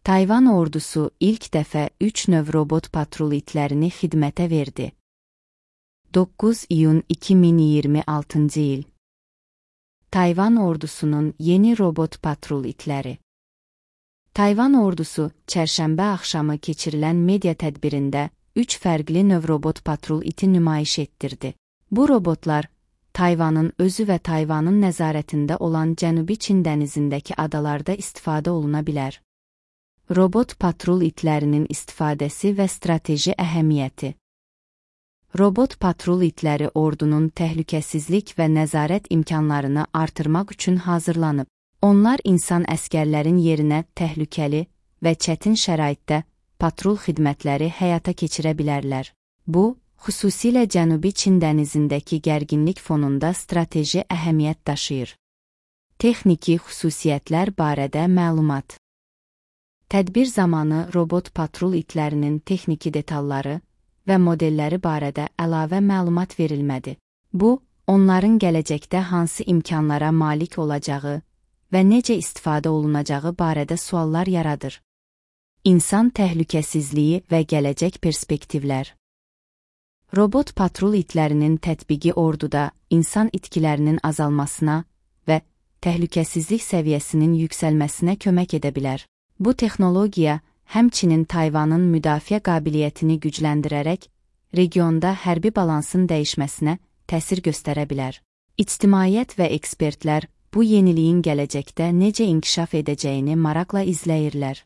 Tayvan ordusu ilk dəfə 3 növ robot patrul itlərini xidmətə verdi. 9 iyun 2026 il. Tayvan ordusunun yeni robot patrul itləri. Tayvan ordusu çərşənbə axşamı keçirilən media tədbirində 3 fərqli növ robot patrul iti nümayiş etdirdi. Bu robotlar Tayvanın özü və Tayvanın nəzarətində olan Cənubi Çin dənizindəki adalarda istifadə oluna bilər. Robot patrul itlərinin istifadəsi və strateji əhəmiyyəti. Robot patrul itləri ordunun təhlükəsizlik və nəzarət imkanlarını artırmaq üçün hazırlanıb. Onlar insan əskərlərin yerinə təhlükəli və çətin şəraitdə patrul xidmətləri həyata keçirə bilərlər. Bu, xüsusilə Cənubi Çin dənizindəki gərginlik fonunda strateji əhəmiyyət daşıyır. Texniki xüsusiyyətlər barədə məlumat. Tədbir zamanı robot patrul itlərinin texniki detalları və modelləri barədə əlavə məlumat verilmədi. Bu, onların gələcəkdə hansı imkanlara malik olacağı və necə istifadə olunacağı barədə suallar yaradır. İnsan təhlükəsizliyi və gələcək perspektivlər. Robot patrul itlərinin tətbiqi orduda insan itkilərinin azalmasına və təhlükəsizlik səviyyəsinin yüksəlməsinə kömək edə bilər. Bu texnologiya həmçinin Tayvanın müdafiə qabiliyyətini gücləndirərək regionda hərbi balansın dəyişməsinə təsir göstərə bilər. İctimaiyyət və ekspertlər bu yeniliyin gələcəkdə necə inkişaf edəcəyini maraqla izləyirlər.